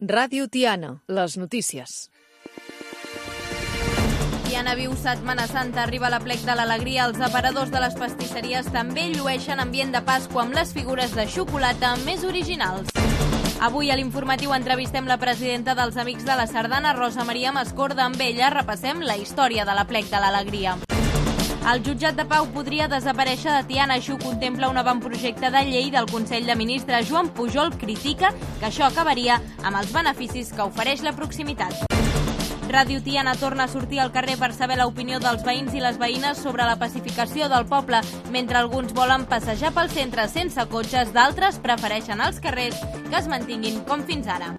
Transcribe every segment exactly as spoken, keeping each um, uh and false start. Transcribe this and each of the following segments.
Ràdio Tiana, les notícies. Tiana viu Setmana Santa, arriba l'aplec de l'alegria. Els aparadors de les pastisseries també llueixen ambient de Pasqua amb les figures de xocolata més originals. Avui a l'informatiu entrevistem la presidenta dels Amics de la Sardana, Rosa Maria Mascorda. Amb ella repassem la història de l'aplec de l'alegria. El jutjat de Pau podria desaparèixer de Tiana, així ho contempla un avantprojecte de llei del Consell de Ministres. Joan Pujol critica que això acabaria amb els beneficis que ofereix la proximitat. Ràdio Tiana torna a sortir al carrer per saber l'opinió dels veïns i les veïnes sobre la pacificació del poble. Mentre alguns volen passejar pel centre sense cotxes, d'altres prefereixen els carrers que es mantinguin com fins ara.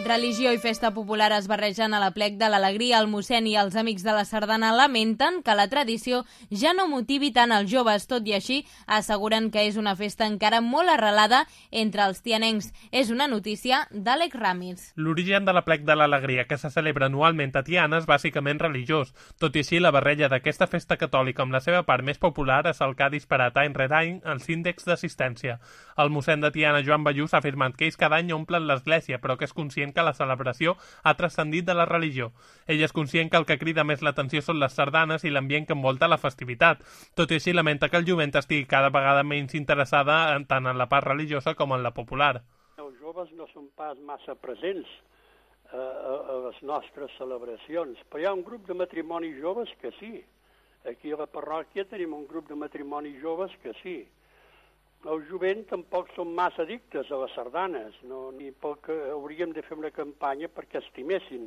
Religió i festa popular es barregen a l'aplec de l'alegria. El mossèn i els Amics de la Sardana lamenten que la tradició ja no motivi tant els joves. Tot i així, asseguren que és una festa encara molt arrelada entre els tianencs. És una notícia d'Àlex Ramis. L'origen de l'aplec de l'alegria, que se celebra anualment a Tiana, és bàsicament religiós. Tot i així, la barreja d'aquesta festa catòlica amb la seva part més popular és el que ha disparat any rere any els índexs d'assistència. El mossèn de Tiana, Joan Ballús, ha afirmat que ells cada any omplen l'església, però que és conscient que la celebració ha transcendit de la religió. Ell és conscient que el que crida més l'atenció són les sardanes i l'ambient que envolta la festivitat. Tot i així, lamenta que el jovent estigui cada vegada menys interessada tant en la part religiosa com en la popular. Els joves no són pas massa presents a, a, a les nostres celebracions, però hi ha un grup de matrimonis joves que sí. Aquí a la parròquia tenim un grup de matrimonis joves que sí. El jovent tampoc són massa addictes a les sardanes, no? Ni pel que hauríem de fer una campanya perquè estimessin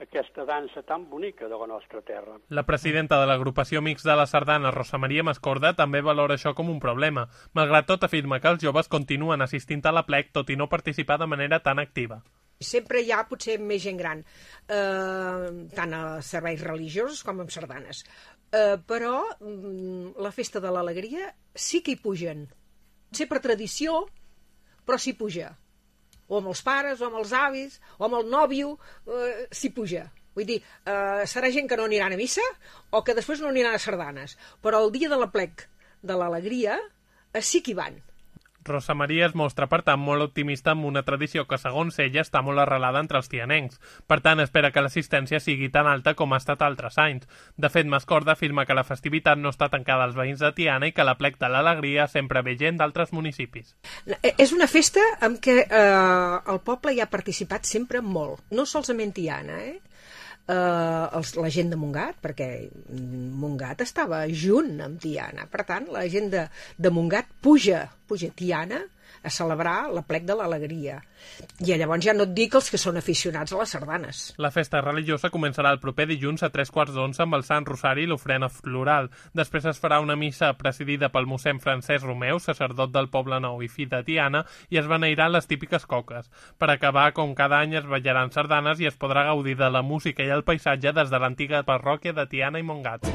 aquesta dansa tan bonica de la nostra terra. La presidenta de l'agrupació Amics de la Sardana, Rosa Maria Mascorda, també valora això com un problema. Malgrat tot, afirma que els joves continuen assistint a l'aplec, tot i no participar de manera tan activa. Sempre hi ha potser més gent gran, eh, tant a serveis religiosos com en sardanes. Eh, però mm, la festa de l'alegria sí que hi pugen. Potser per tradició, però s'hi puja. O amb els pares, o amb els avis, o amb el nòvio, eh, s'hi puja. Vull dir, eh, serà gent que no aniran a missa o que després no aniran a sardanes. Però el dia de l'aplec de l'alegria eh, sí que hi van. Rosa Maria es mostra, per tant, molt optimista amb una tradició que, segons ella, està molt arrelada entre els tianencs. Per tant, espera que l'assistència sigui tan alta com ha estat altres anys. De fet, Mascorda afirma que la festivitat no està tancada als veïns de Tiana i que l'aplec de l'alegria sempre ve gent d'altres municipis. És una festa en què eh, el poble hi ha participat sempre molt. No solament Tiana, eh? Uh, els, la gent de Montgat, perquè Montgat estava junt amb Tiana, per tant la gent de, de Montgat puja, puja a Tiana a celebrar l'aplec de l'alegria. I llavors ja no et dic els que són aficionats a les sardanes. La festa religiosa començarà el proper dilluns a tres quarts d'onze amb el Sant Rosari i l'ofrena floral. Després es farà una missa presidida pel mossèn Francesc Romeu, sacerdot del Poble Nou i fill de Tiana, i es beneiran les típiques coques. Per acabar, com cada any, es ballaran sardanes i es podrà gaudir de la música i el paisatge des de l'antiga parròquia de Tiana i Montgat.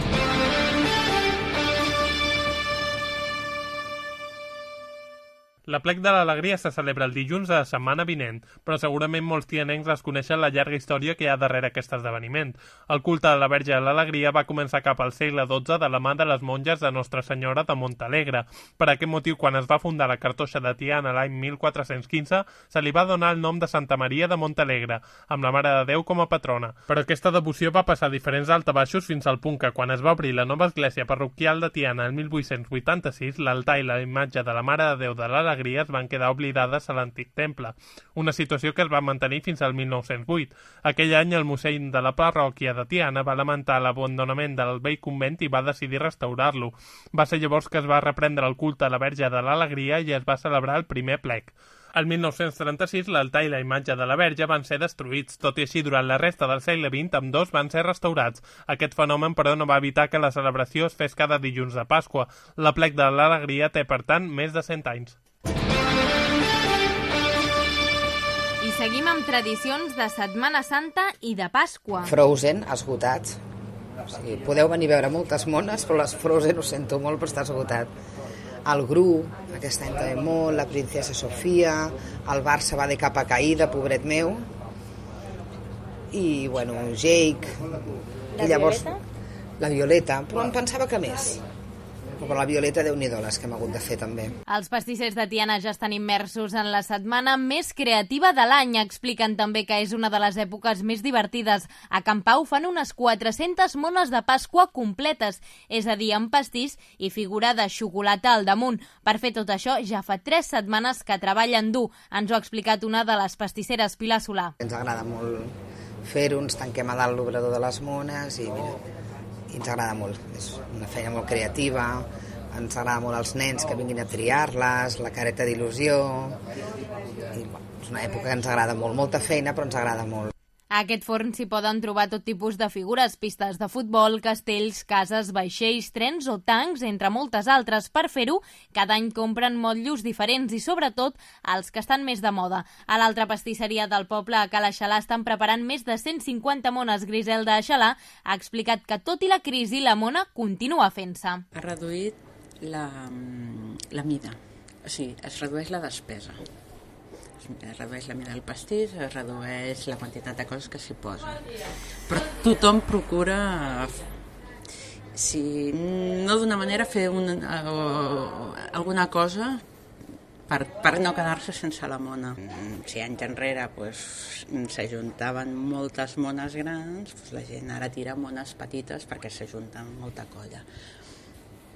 L'aplec de l'alegria se celebra el dilluns de la setmana vinent, però segurament molts tianencs desconeixen la llarga història que hi ha darrere aquest esdeveniment. El culte de la Verge de l'Alegria va començar cap al segle dotze de la mà de les monges de Nostra Senyora de Montalegre. Per aquest motiu, quan es va fundar la cartoixa de Tiana l'any mil quatre-cents quinze, se li va donar el nom de Santa Maria de Montalegre, amb la Mare de Déu com a patrona. Però aquesta devoció va passar diferents altabaixos fins al punt que, quan es va obrir la nova església parroquial de Tiana el mil vuit-cents vuitanta-sis, l'altar i la imatge de la Mare de Déu de l'Alegria es van quedar oblidades a l'antic temple, una situació que es va mantenir fins al mil nou-cents vuit. Aquell any el mossèn de la parròquia de Tiana va lamentar l'abandonament del vell convent i va decidir restaurar-lo. Va ser llavors que es va reprendre el culte a la Verge de l'Alegria i es va celebrar el primer plec. El mil nou-cents trenta-sis l'altar i la imatge de la Verge van ser destruïts, tot i així durant la resta del segle vint ambdós van ser restaurats. Aquest fenomen, però, no va evitar que la celebració es fes cada dilluns de Pasqua. L'aplec de l'alegria té, per tant, més de cent anys. I seguim amb tradicions de Setmana Santa i de Pasqua. Frozen, esgotat. O sigui, podeu venir a veure moltes mones, però les Frozen ho sento molt, però està esgotat. El Gru, aquest any també molt, la Princesa Sofia, el Barça va de capa caïda, pobret meu, i, bueno, Jake... La i llavors, Violeta? La Violeta, però em pensava que més. Però la Violeta, Déu-n'hi-do, les que hem hagut de fer també. Els pastissers de Tiana ja estan immersos en la setmana més creativa de l'any. Expliquen també que és una de les èpoques més divertides. A Can Pau fan unes quatre-centes mones de Pasqua completes, és a dir, amb pastís i figura de xocolata al damunt. Per fer tot això, ja fa tres setmanes que treballen dur. Ens ho ha explicat una de les pastisseres, Pilar Solà. Ens agrada molt fer-ho, ens tanquem a dalt l'obrador de les mones i mira, i ens agrada molt. És una feina molt creativa, ens agrada molt als nens que vinguin a triar-les, la careta d'il·lusió, i bueno, és una època que ens agrada molt, molta feina però ens agrada molt. A aquest forn s'hi poden trobar tot tipus de figures, pistes de futbol, castells, cases, vaixells, trens o tancs, entre moltes altres. Per fer-ho, cada any compren motllos diferents i, sobretot, els que estan més de moda. A l'altra pastisseria del poble, a Cala Xalà, estan preparant més de cent cinquanta mones. Griselda Xalà ha explicat que, tot i la crisi, la mona continua fent-se. Ha reduït la, la mida, o sigui, es redueix la despesa. Es redueix la mida del pastís, es redueix la quantitat de coses que s'hi posa. Però tothom procura, si no d'una manera, fer una, alguna cosa per, per no quedar-se sense la mona. Si anys enrere pues, s'ajuntaven moltes mones grans, pues, la gent ara tira mones petites perquè s'ajunten molta colla.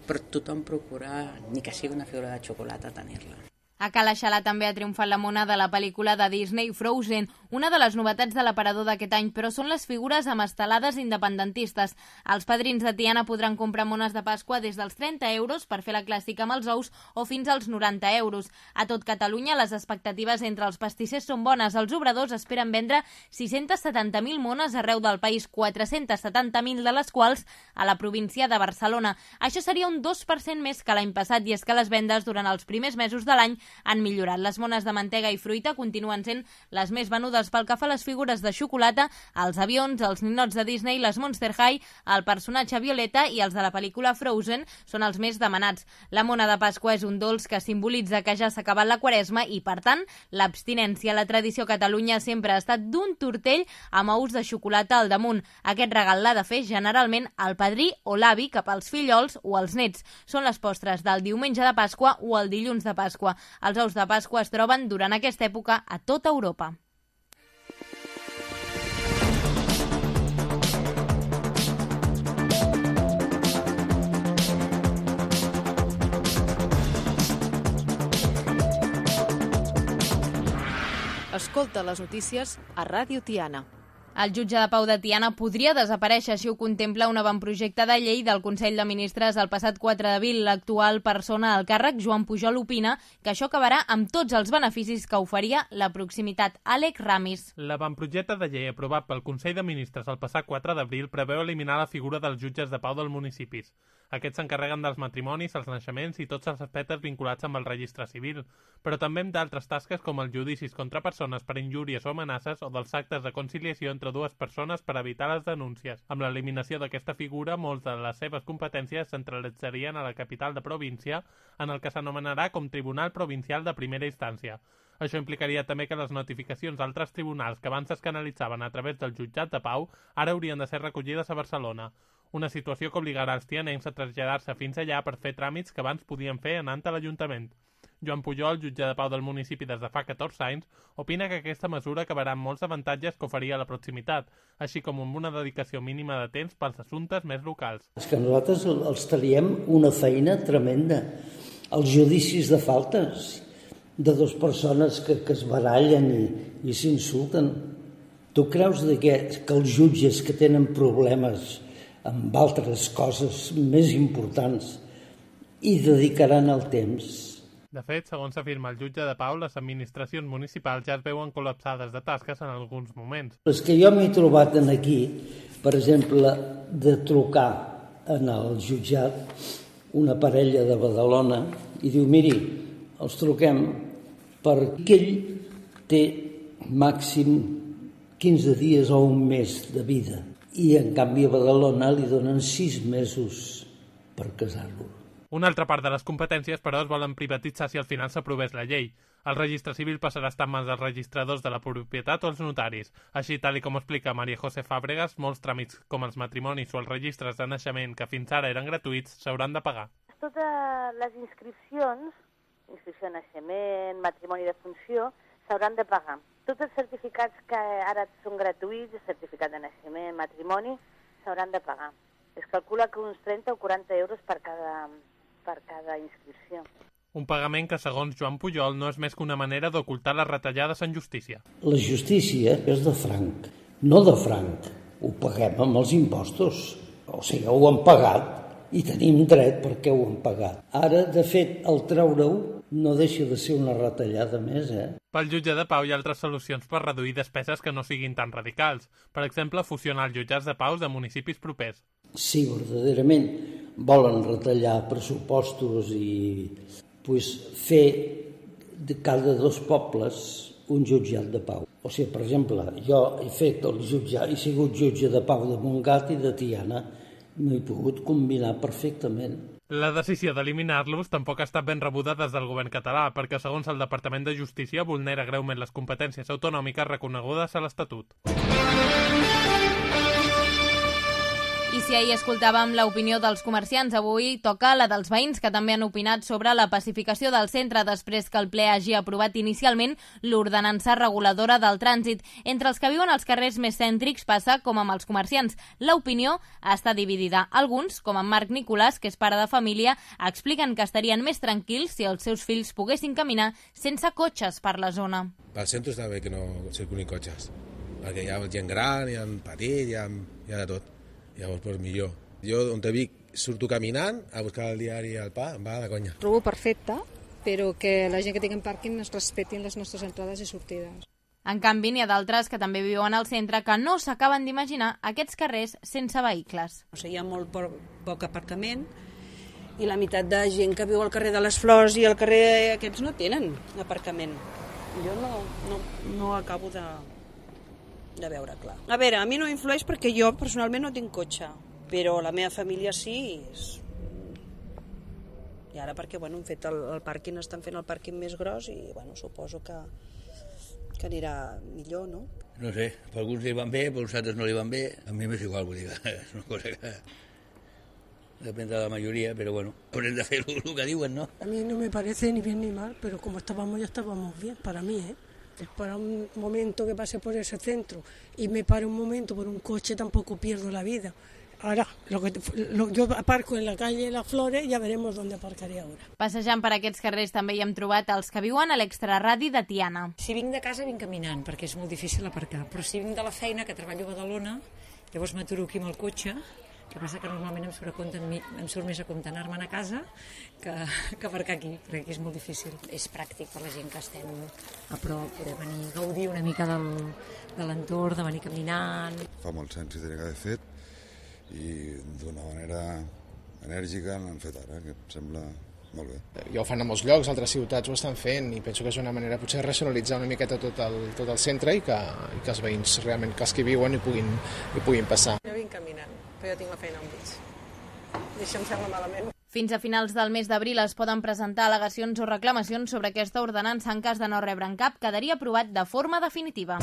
Però tothom procura, ni que sigui una figura de xocolata, tenir-la. A Cala Xalà també ha triomfat la mona de la pel·lícula de Disney Frozen, una de les novetats de l'aparador d'aquest any, però són les figures amb estelades independentistes. Els padrins de Tiana podran comprar mones de Pasqua des dels trenta euros per fer la clàssica amb els ous o fins als noranta euros. A tot Catalunya, les expectatives entre els pastissers són bones. Els obradors esperen vendre sis-centes setanta mil mones arreu del país, quatre-centes setanta mil de les quals a la província de Barcelona. Això seria un dos per cent més que l'any passat, i és que les vendes durant els primers mesos de l'any han millorat. Les mones de mantega i fruita continuen sent les més venudes. Pel que fa a les figures de xocolata, els avions, els ninots de Disney, les Monster High, el personatge Violeta i els de la pel·lícula Frozen són els més demanats. La mona de Pasqua és un dolç que simbolitza que ja s'ha acabat la Quaresma i, per tant, l'abstinència. La tradició a Catalunya sempre ha estat d'un tortell amb ous de xocolata al damunt. Aquest regal l'ha de fer generalment el padrí o l'avi cap als fillols o als nets. Són les postres del diumenge de Pasqua o el dilluns de Pasqua. Els ous de Pasqua es troben durant aquesta època a tota Europa. Escolta les notícies a Ràdio Tiana. El jutge de Pau de Tiana podria desaparèixer si ho contempla un avantprojecte de llei del Consell de Ministres el passat quatre d'abril. L'actual persona al càrrec, Joan Pujol, opina que això acabarà amb tots els beneficis que oferia la proximitat. Àlex Ramis. L'avantprojecte de llei aprovat pel Consell de Ministres el passat quatre d'abril preveu eliminar la figura dels jutges de pau dels municipis. Aquests s'encarreguen dels matrimonis, els naixements i tots els aspectes vinculats amb el registre civil, però també amb d'altres tasques com els judicis contra persones per injúries o amenaces o dels actes de conciliació entre dues persones per evitar les denúncies. Amb l'eliminació d'aquesta figura, molts de les seves competències centralitzarien a la capital de província, en el que s'anomenarà com Tribunal Provincial de Primera Instància. Això implicaria també que les notificacions d'altres tribunals que abans es canalitzaven a través del jutjat de Pau ara haurien de ser recollides a Barcelona. Una situació que obligarà els tianencs a traslladar-se fins allà per fer tràmits que abans podien fer anant a l'Ajuntament. Joan Pujol, jutge de pau del municipi des de fa catorze anys, opina que aquesta mesura acabarà amb molts avantatges que oferia la proximitat, així com amb una dedicació mínima de temps pels assumptes més locals. És que nosaltres els traiem una feina tremenda. Els judicis de faltes de dues persones que, que es barallen i, i s'insulten. Tu creus de que, que els jutges que tenen problemes amb altres coses més importants hi dedicaran el temps? De fet, segons s'afirma el jutge de pau, les administracions municipals ja es veuen col·lapsades de tasques en alguns moments. És que jo m'he trobat en aquí, per exemple, de trucar en el jutjat una parella de Badalona i diu, miri, els truquem perquè ell té màxim quinze dies o un mes de vida i en canvi a Badalona li donen sis mesos per casar-lo. Una altra part de les competències, però, es volen privatitzar si al final s'aprovés la llei. El registre civil passarà a estar en mans dels registradors de la propietat o els notaris. Així, tal i com explica Maria José Fàbregas, molts tràmits com els matrimonis o els registres de naixement que fins ara eren gratuïts s'hauran de pagar. totes les inscripcions, inscripció de naixement, matrimoni de funció, s'hauran de pagar. Tots els certificats que ara són gratuïts, el certificat de naixement, matrimoni, s'hauran de pagar. Es calcula que uns trenta o quaranta euros per cada, per cada inscripció. Un pagament que, segons Joan Pujol, no és més que una manera d'ocultar les retallades en justícia. La justícia és de franc, no de franc. Ho paguem amb els impostos. O sigui, ho han pagat i tenim dret perquè ho han pagat. Ara, de fet, el treure-ho no deixa de ser una retallada més, eh? Pel jutge de Pau hi ha altres solucions per reduir despeses que no siguin tan radicals. Per exemple, fusionar els jutjats de Pau de municipis propers. Si verdaderament volen retallar pressupostos i pues, fer de cada dos pobles un jutjat de Pau. O sigui, per exemple, jo he fet el jutjat, he sigut jutge de Pau de Montgat i de Tiana, m'he pogut combinar perfectament. La decisió d'eliminar-los tampoc ha estat ben rebuda des del govern català, perquè, segons el Departament de Justícia, vulnera greument les competències autonòmiques reconegudes a l'Estatut. I si ahir escoltàvem l'opinió dels comerciants, avui toca la dels veïns, que també han opinat sobre la pacificació del centre després que el ple hagi aprovat inicialment l'ordenança reguladora del trànsit. Entre els que viuen als carrers més cèntrics passa com amb els comerciants. L'opinió està dividida. Alguns, com en Marc Nicolàs, que és pare de família, expliquen que estarien més tranquils si els seus fills poguessin caminar sense cotxes per la zona. Pel centre està bé que no circulin cotxes, perquè hi ha gent gran, hi ha petit, hi ha, hi ha de tot. Llavors, doncs millor. Jo, on te Vic, surto caminant a buscar el diari al pa, em va de conya. Trobo perfecte, però que la gent que tingui pàrquing es respetin les nostres entrades i sortides. En canvi, n'hi ha d'altres que també viuen al centre que no s'acaben d'imaginar aquests carrers sense vehicles. O sigui, hi ha molt poc aparcament i la meitat de gent que viu al carrer de les Flors i al carrer aquests no tenen aparcament. Jo no, no, no acabo de... de veure clar. A veure, a mi no influeix perquè jo personalment no tinc cotxe, però la meva família sí. És... I ara perquè, bueno, han fet el, el pàrquing, estan fent el pàrquing més gros i, bueno, suposo que, que anirà millor, no? No sé, per alguns li van bé, per uns altres no li van bé. A mi m'és igual, vull dir, és una cosa que depèn de la majoria, però bueno, haurem de fer el que diuen, ¿no? A mí no me parece ni bien ni mal, pero como estábamos ya estábamos bien, para mí, ¿eh? Para un momento que pase por ese centro y me pare un momento por un coche, tampoco pierdo la vida. Ahora, lo que, lo, yo aparco en la calle Las Flores, ya veremos dónde aparcaré ahora. Passejant per aquests carrers també hi hem trobat els que viuen a l'extraradi de Tiana. Si vinc de casa vinc caminant, perquè és molt difícil aparcar, però si vinc de la feina, que treballo a Badalona, llavors m'aturo aquí amb el cotxe. El que passa que normalment em surt, a compte, em surt més a compte anar-me'n a casa que, que aparcar aquí, perquè aquí és molt difícil. És pràctic per la gent que estem a prop, poder venir a gaudir una mica del, de l'entorn, de venir caminant. Fa molts anys que tenia que haver fet i d'una manera enèrgica l'han fet ara, que em sembla molt bé. Ja ho fan a molts llocs, altres ciutats ho estan fent i penso que és una manera potser de racionalitzar una miqueta tot el, tot el centre i que, i que els veïns realment, que els que hi viuen hi puguin, hi puguin passar. Jo vinc caminant, però jo tinc la feina al mig. I això em sembla malament. Fins a finals del mes d'abril es poden presentar al·legacions o reclamacions sobre aquesta ordenança. En cas de no rebre'n cap, quedaria aprovat de forma definitiva.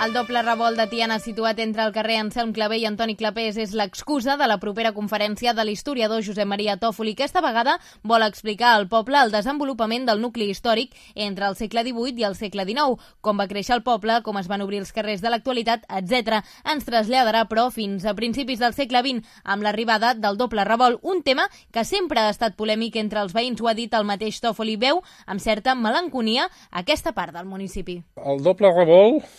El doble revolt de Tiana situat entre el carrer Anselm Clavé i Antoni Clapés és l'excusa de la propera conferència de l'historiador Josep Maria Tòfoli, que esta vegada vol explicar al poble el desenvolupament del nucli històric entre el segle divuit i el segle dinou, com va créixer el poble, com es van obrir els carrers de l'actualitat, etcètera. Ens traslladarà, però, fins a principis del segle vint, amb l'arribada del doble revolt, un tema que sempre ha estat polèmic entre els veïns, ho ha dit el mateix Tòfoli, veu amb certa melanconia aquesta part del municipi. El doble revolt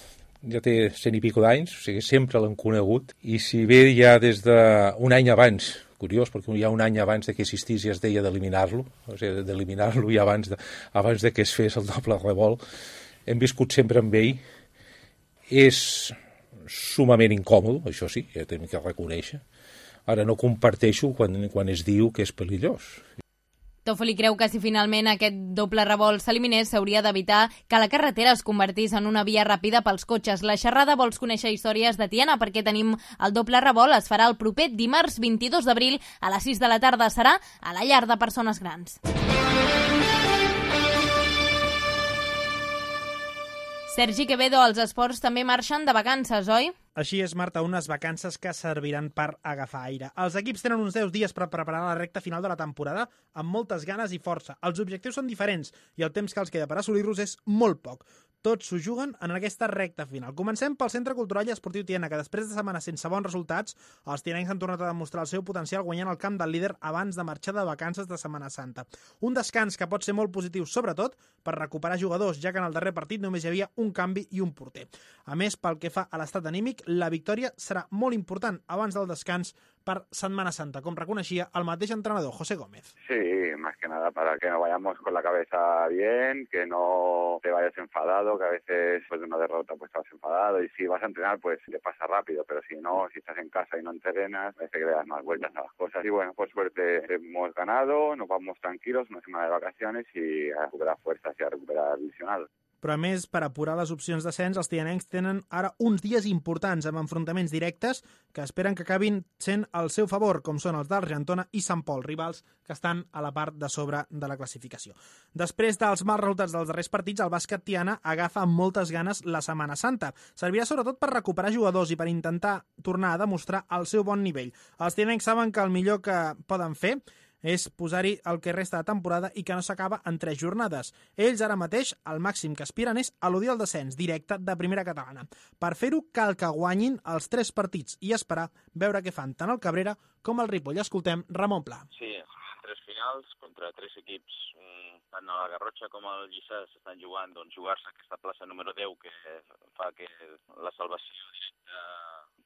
ja té cent i pico d'anys, o sigui, sempre l'han conegut, i si bé ja des d'un any abans, curiós, perquè ja un any abans de que existís ja es deia d'eliminar-lo, o sigui, d'eliminar-lo ja abans de, abans de que es fes el doble revolt, hem viscut sempre amb ell, és sumament incòmode, això sí, ja tenim que reconèixer. Ara no comparteixo quan, quan es diu que és perillós. Tòfoli creu que si finalment aquest doble revolt s'eliminés s'hauria d'evitar que la carretera es convertís en una via ràpida pels cotxes. La xerrada Vols conèixer històries de Tiana perquè tenim el doble revolt. Es farà el proper dimarts vint-i-dos d'abril a les sis de la tarda. Serà a la llar de persones grans. Sergi Quevedo, els esports també marxen de vacances, oi? Així és, Marta, unes vacances que serviran per agafar aire. Els equips tenen uns deu dies per preparar la recta final de la temporada amb moltes ganes i força. Els objectius són diferents i el temps que els queda per assolir-los és molt poc. Tots s'ho juguen en aquesta recta final. Comencem pel Centre Cultural i Esportiu Tiana, que després de setmanes sense bons resultats, els tianencs han tornat a demostrar el seu potencial guanyant el camp del líder abans de marxar de vacances de Setmana Santa. Un descans que pot ser molt positiu, sobretot per recuperar jugadors, ja que en el darrer partit només hi havia un canvi i un porter. A més, pel que fa a l'estat anímic, la victòria serà molt important abans del descans per Setmana Santa, com reconeixia el mateix entrenador, José Gómez. Sí, más que nada para que no vayamos con la cabeza bien, que no te vayas enfadado, que a veces después de una derrota pues estás enfadado y si vas a entrenar pues te pasa rápido, pero si no, si estás en casa y no entrenas, parece que le das más vueltas a las cosas. Y bueno, por suerte hemos ganado, nos vamos tranquilos, una semana de vacaciones y a recuperar fuerzas y a recuperar lesionados. Però a més, per apurar les opcions d'ascens, els tianencs tenen ara uns dies importants amb enfrontaments directes que esperen que acabin sent al seu favor, com són els d'Argentona i Sant Pol, rivals que estan a la part de sobre de la classificació. Després dels mals resultats dels darrers partits, el bàsquet Tiana agafa amb moltes ganes la Setmana Santa. Servirà sobretot per recuperar jugadors i per intentar tornar a demostrar el seu bon nivell. Els tianencs saben que el millor que poden fer és posar-hi el que resta de temporada i que no s'acaba en tres jornades. Ells ara mateix, el màxim que aspiren és eludir el descens directe de primera catalana. Per fer-ho, cal que guanyin els tres partits i esperar veure què fan tant el Cabrera com el Ripoll. Escoltem Ramon Pla. Sí, tres finals contra tres equips, tant a la Garrotxa com al Lliçà s'estan jugant, doncs jugar-se aquesta plaça número deu que fa que la salvació directa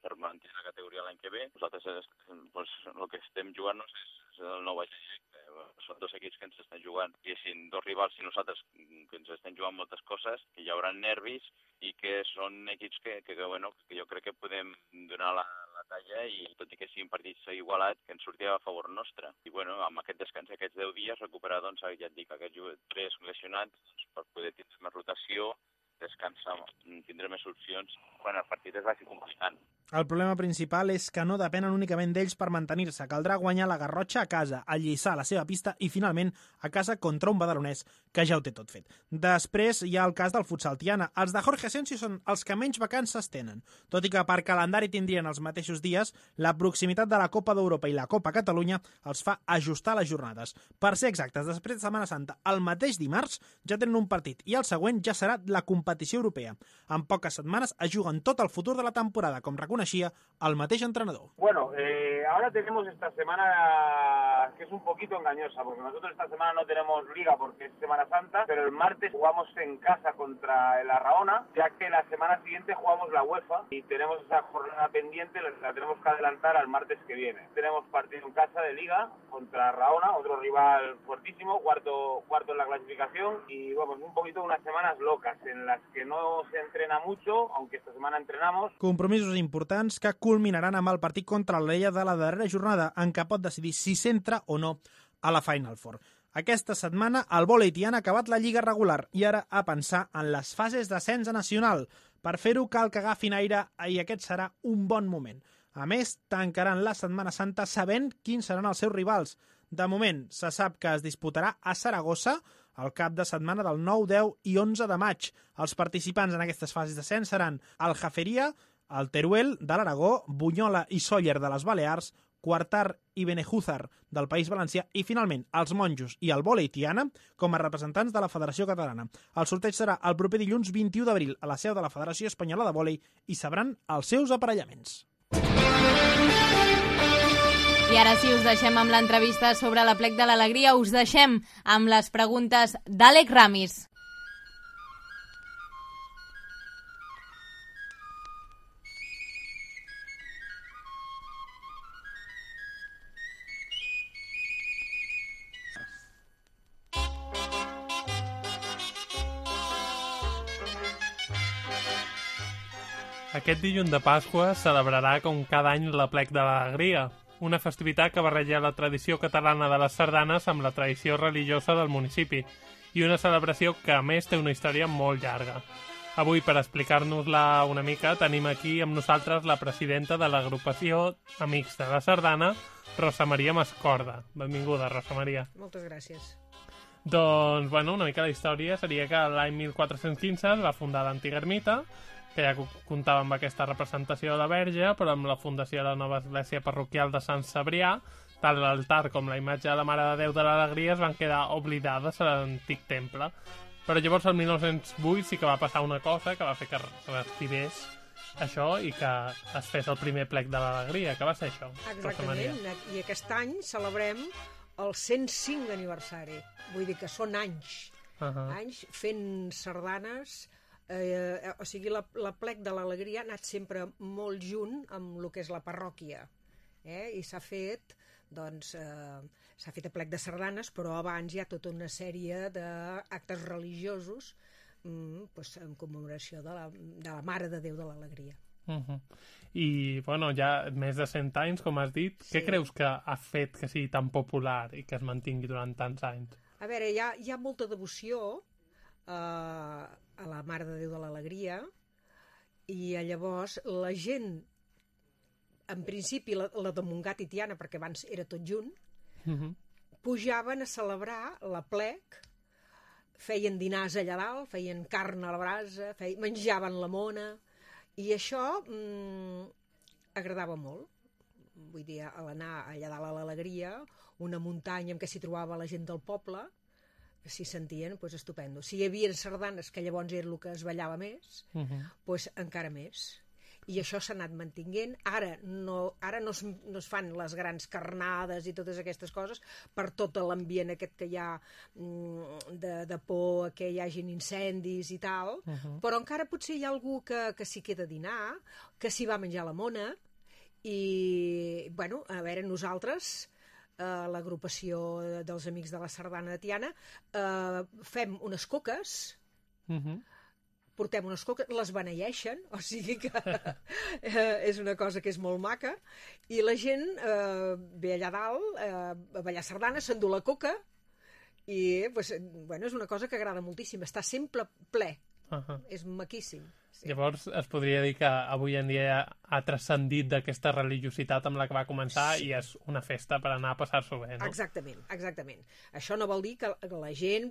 per mantenir la categoria l'any que ve. Nosaltres doncs, el que estem jugant-nos és el nou baix directe. Són dos equips que ens estan jugant, diguéssim, dos rivals i nosaltres que ens estem jugant moltes coses, que hi haurà nervis i que són equips que, que, que, bueno, que jo crec que podem donar la, la talla i tot i que siguin partits igualats, que ens surti a favor nostre. I bueno, amb aquest descans, aquests deu dies, recuperar, doncs, ja et dic, aquests tres lesionats doncs, per poder tenir més rotació, descansar, tindré més opcions quan el partit es vagi complicant. El problema principal és que no depenen únicament d'ells per mantenir-se. Caldrà guanyar la Garrotxa a casa, el Lliçà a la seva pista i, finalment, a casa contra un badalonès que ja ho té tot fet. Després hi ha el cas del futsal Tiana. Els de Jorge Asensio són els que menys vacances tenen. Tot i que per calendari tindrien els mateixos dies, la proximitat de la Copa d'Europa i la Copa Catalunya els fa ajustar les jornades. Per ser exactes, després de Setmana Santa, el mateix dimarts ja tenen un partit i el següent ja serà la competició europea. En poques setmanes es juguen tot el futur de la temporada, com reconeixia el mateix entrenador. Bueno, eh, ahora tenemos esta semana que es un poquito engañosa, porque nosotros esta semana no tenemos liga porque es Semana Santa, pero el martes jugamos en casa contra el Arraona, ya que la semana siguiente jugamos la UEFA y tenemos esa jornada pendiente, la tenemos que adelantar al martes que viene. Tenemos partido en casa de liga contra Arraona, otro rival fuertísimo, cuarto, cuarto en la clasificación, y vamos, un poquito unas semanas locas en las que no se entrena mucho, aunque esta semana entrenamos. Compromisos importants que culminaran amb el partit contra l'Alella de la darrera jornada, en què pot decidir si s'entra o no a la Final Four. Aquesta setmana el vòlei tiana ha acabat la lliga regular i ara a pensar en les fases d'ascens a nacional. Per fer-ho cal que agafin aire i aquest serà un bon moment. A més, tancaran la Setmana Santa sabent quins seran els seus rivals. De moment, se sap que es disputarà a Saragossa el cap de setmana del nou, deu i onze de maig. Els participants en aquestes fases d'ascens seran el Jaferia, el Teruel de l'Aragó, Bunyola i Sóller de les Balears, Quartar i Benejúzar del País Valencià i, finalment, els Monjos i el vòlei Tiana com a representants de la Federació Catalana. El sorteig serà el proper dilluns vint-i-u d'abril a la seu de la Federació Espanyola de Vòlei i sabran els seus aparellaments. I ara sí, us deixem amb l'entrevista sobre l'Aplec de l'Alegria. Us deixem amb les preguntes d'Àlex Ramis. Aquest dilluns de Pasqua celebrarà com cada any l'Aplec de l'Alegria, una festivitat que barreja la tradició catalana de les sardanes amb la tradició religiosa del municipi, i una celebració que a més té una història molt llarga. Avui, per explicar-nos-la una mica, tenim aquí amb nosaltres la presidenta de l'agrupació Amics de la Sardana, Rosa Maria Mascorda. Benvinguda, Rosa Maria. Moltes gràcies. Doncs, bueno, una mica la història seria que l'any mil quatre-cents quinze es va fundar l'antiga ermita, que ja comptava amb aquesta representació de la Verge, però amb la fundació de la nova església parroquial de Sant Cebrià, tant l'altar com la imatge de la Mare de Déu de l'Alegria es van quedar oblidades a l'antic temple. Però llavors, el mil nou-cents vuit, sí que va passar una cosa que va fer que reactivés això i que es fes el primer plec de l'Alegria, que va ser això. Exactament, i aquest any celebrem el cent cinc aniversari. Vull dir que són anys, uh -huh. anys fent sardanes. Eh, o sigui, la, la plec de l'Alegria ha anat sempre molt junt amb el que és la parròquia, eh? I s'ha fet doncs eh, s'ha fet a plec de sardanes, però abans hi ha tota una sèrie d'actes religiosos mm, pues, en commemoració de la, de la Mare de Déu de l'Alegria. Uh -huh. I, bueno, ja més de cent anys, com has dit, sí. Què creus que ha fet que sigui tan popular i que es mantingui durant tants anys? A veure, hi ha, hi ha molta devoció eh, a la Mare de Déu de l'Alegria, i llavors la gent, en principi la, la de Montgat i Tiana, perquè abans era tot junt, uh-huh. pujaven a celebrar la plec, feien dinars allà dalt, feien carn a la brasa, feien, menjaven la mona, i això mm, agradava molt. Vull dir, a l'anar allà dalt a l'Alegria, una muntanya en què s'hi trobava la gent del poble, s'hi sentien, doncs, estupendo. Si hi havia sardanes, que llavors era el que es ballava més, uh-huh. doncs encara més. I això s'ha anat mantinguent. Ara no, ara no, es, no es fan les grans carnades i totes aquestes coses per tot l'ambient aquest que hi ha de, de por que hi hagin incendis i tal, uh-huh. però encara potser hi ha algú que, que s'hi queda a dinar, que s'hi va a menjar la mona, i, bueno, a veure, nosaltres... Uh, l'agrupació dels Amics de la Sardana de Tiana, uh, fem unes coques, uh-huh. portem unes coques, les beneeixen, o sigui que uh, és una cosa que és molt maca, i la gent uh, ve allà dalt uh, a ballar sardanes, s'endú la coca, i pues, bueno, és una cosa que agrada moltíssim, està sempre ple, uh-huh. és maquíssim. Sí. Llavors es podria dir que avui en dia ha transcendit d'aquesta religiositat amb la que va començar, sí. i és una festa per anar a passar-s'ho bé, no? Exactament, exactament. Això no vol dir que la gent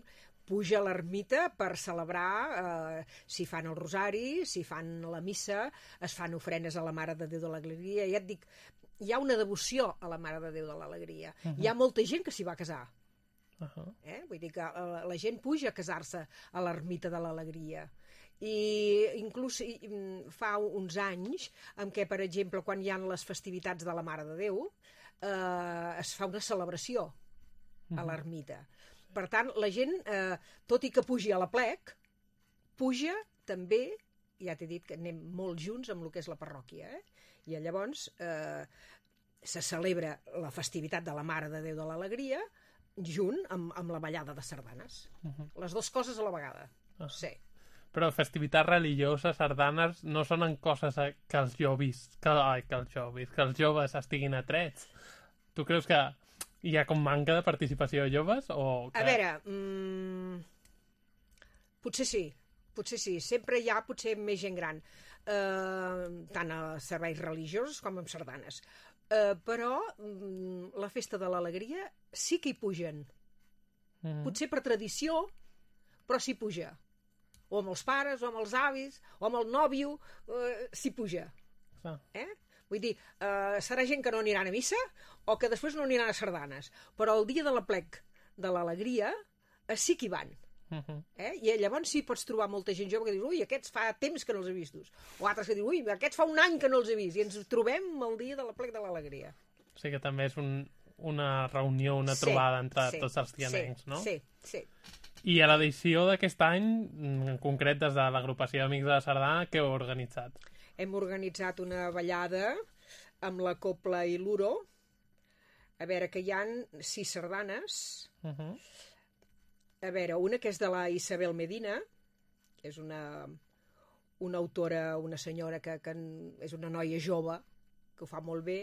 puja a l'ermita per celebrar, eh, si fan el rosari, si fan la missa, es fan ofrenes a la Mare de Déu de l'Alegria. Ja et dic, hi ha una devoció a la Mare de Déu de l'Alegria. Uh-huh. Hi ha molta gent que s'hi va casar. Uh-huh. eh? Vull dir que la, la gent puja a casar-se a l'ermita de l'Alegria. I inclús fa uns anys en què, per exemple, quan hi ha les festivitats de la Mare de Déu, eh, es fa una celebració a l'ermita. Per tant, la gent, eh, tot i que pugi a la plec, puja també, ja t'he dit que anem molt junts amb el que és la parròquia, eh? I llavors eh, se celebra la festivitat de la Mare de Déu de l'Alegria junt amb, amb la ballada de sardanes. Uh-huh. Les dues coses a la vegada. Uh-huh. Sí. Però festivitats religioses, sardanes, no són coses que els joves, que, ai, que els joves, que els joves estiguin atrets. Tu creus que hi ha com manca de participació de joves? O que... A veure, mmm, potser sí, potser sí. Sempre hi ha potser més gent gran, eh, tant a serveis religiosos com en sardanes. Eh, però mm, la festa de l'Alegria sí que hi pugen. Mm. Potser per tradició, però s'hi puja. O amb els pares, o amb els avis, o amb el nòvio, eh, s'hi puja. Ah. Eh? Vull dir, eh, serà gent que no aniran a missa o que després no aniran a sardanes, però el dia de la plec de l'Alegria eh, sí que hi van. Uh-huh. eh? I llavors sí pots trobar molta gent jove que dius, ui, aquests fa temps que no els he vistos, o altres que dius, ui, aquests fa un any que no els he vist, i ens trobem el dia de la plec de l'Alegria. O sigui que també és un, una reunió, una sí, trobada entre sí, tots els tianencs, sí, no? Sí, sí. I a l'edició d'aquest any, en concret des de l'agrupació d'Amics de la Sardana, què heu organitzat? Hem organitzat una ballada amb la copla i l'uro. A veure, que hi ha sis sardanes. Uh-huh. A veure, una que és de la Isabel Medina, que és una, una autora, una senyora que, que és una noia jove, que ho fa molt bé.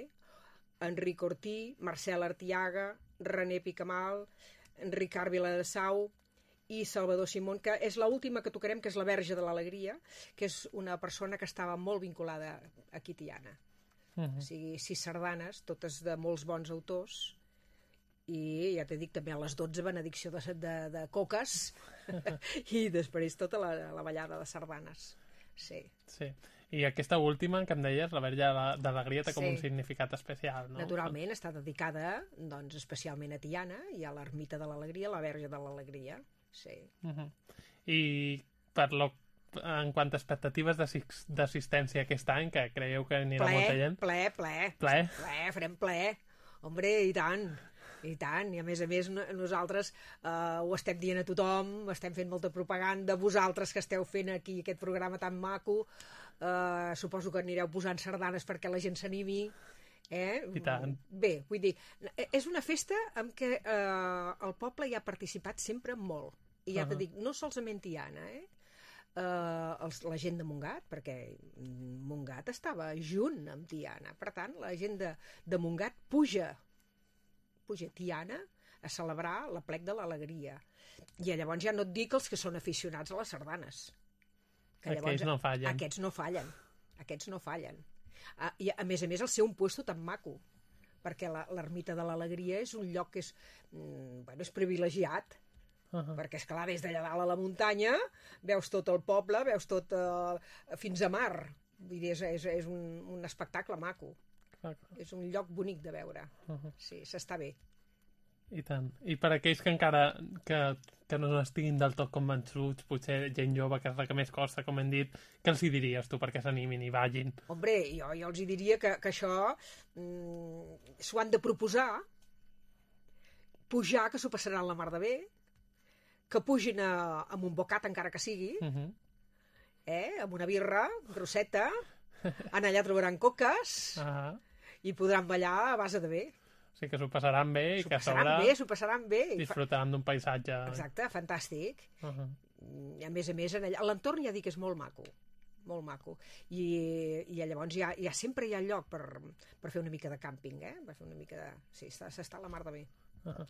Enric Ortí, Marcel Artiaga, René Picamal, Ricard Viladesau i Salvador Simón, que és l'última que tocarem, que és la Verge de l'Alegria, que és una persona que estava molt vinculada aquí a Tiana. Uh-huh. O sigui, sis sardanes, totes de molts bons autors, i ja t'he dit també a les dotze benedicció de, de, de coques i després tota la, la ballada de sardanes. Sí. Sí. I aquesta última que em deies, la Verge d'Alegria, té com Sí. un significat especial, no? Naturalment, està dedicada doncs, especialment a Tiana i a l'ermita de l'Alegria, la Verge de l'Alegria. Sí. Uh-huh. I per lo, en quant a expectatives d'assis- d'assistència aquest any, que creieu que anirà Ple, molta gent? ple, ple. Ple? Ple, farem ple. Hombre, i tant. I tant, i a més a més no- nosaltres eh, ho estem dient a tothom, estem fent molta propaganda, vosaltres que esteu fent aquí aquest programa tan maco, eh, suposo que anireu posant sardanes perquè la gent s'animi, eh? I tant. Bé, vull dir, és una festa en què eh, el poble hi ha participat sempre molt, i ja Uh-huh. t'he dit, no solament Tiana, eh? Uh, els, la gent de Montgat, perquè Montgat estava junt amb Tiana, per tant la gent de, de Montgat puja puja a Tiana a celebrar l'aplec de l'Alegria, i llavors ja no et dic els que són aficionats a les sardanes, que Aquells no fallen. aquests no fallen aquests no fallen ah, i a més a més el ser un puesto tan maco, perquè la- l'ermita de l'Alegria és un lloc que és, mm, bueno, és privilegiat. Uh-huh. Perquè, esclar, des d'allà dalt a la muntanya veus tot el poble, veus tot eh, fins a mar. Vull dir, és, és, és un, un espectacle maco. Clar. És un lloc bonic de veure. Uh-huh. Sí, s'està bé. I tant. I per aquells que encara que, que no estiguin del tot convençuts, potser gent jove, que és la que més costa, com hem dit, què els hi diries tu perquè s'animin i vagin? Hombre, jo, jo els hi diria que, que això mm, s'ho han de proposar, pujar, que s'ho passaran la mar de bé, que pugin a, amb un bocat encara que sigui, Uh-huh. eh, amb una birra grosseta, en allà trobaran coques Uh-huh. i podran ballar a base de bé. O sigui que s'ho passaran bé i S'ho que a passaran sobre bé, s'ho passaran bé. I fa- disfrutaran d'un paisatge. Exacte, fantàstic. Uh-huh. I a més a més, en allà- l'entorn ja dic que és molt maco, molt maco. I, i llavors ja, ja sempre hi ha lloc per, per fer una mica de càmping, eh? Per fer una mica de... Sí, està- s'està a la mar de bé. Uh-huh.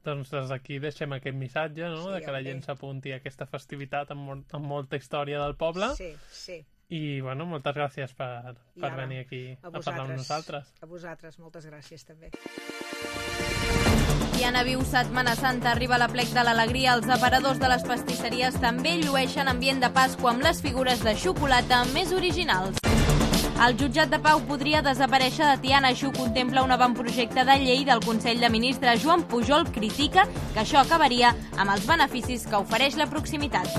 Doncs des d'aquí deixem aquest missatge, no?, Sí, de que la home. gent s'apunti a aquesta festivitat amb, mol amb molta història del poble. Sí, sí. I, bueno, moltes gràcies per, I per ara, venir aquí a a, parlar amb nosaltres. A vosaltres, moltes gràcies també. Tiana viu Setmana Santa, arriba a l'aplec de l'Alegria, els aparadors de les pastisseries també llueixen ambient de Pasqua amb les figures de xocolata més originals. El jutjat de Pau podria desaparèixer de Tiana, així ho contempla un avantprojecte de llei del Consell de Ministres. Joan Pujol critica que això acabaria amb els beneficis que ofereix la proximitat.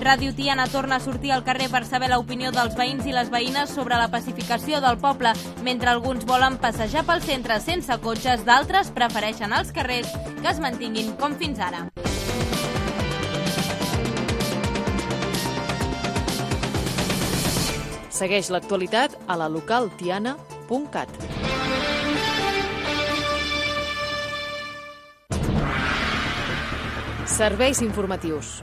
Ràdio Tiana torna a sortir al carrer per saber l'opinió dels veïns i les veïnes sobre la pacificació del poble. Mentre alguns volen passejar pel centre sense cotxes, d'altres prefereixen els carrers que es mantinguin com fins ara. Segueix l'actualitat a la local tiana punt cat. Serveis informatius.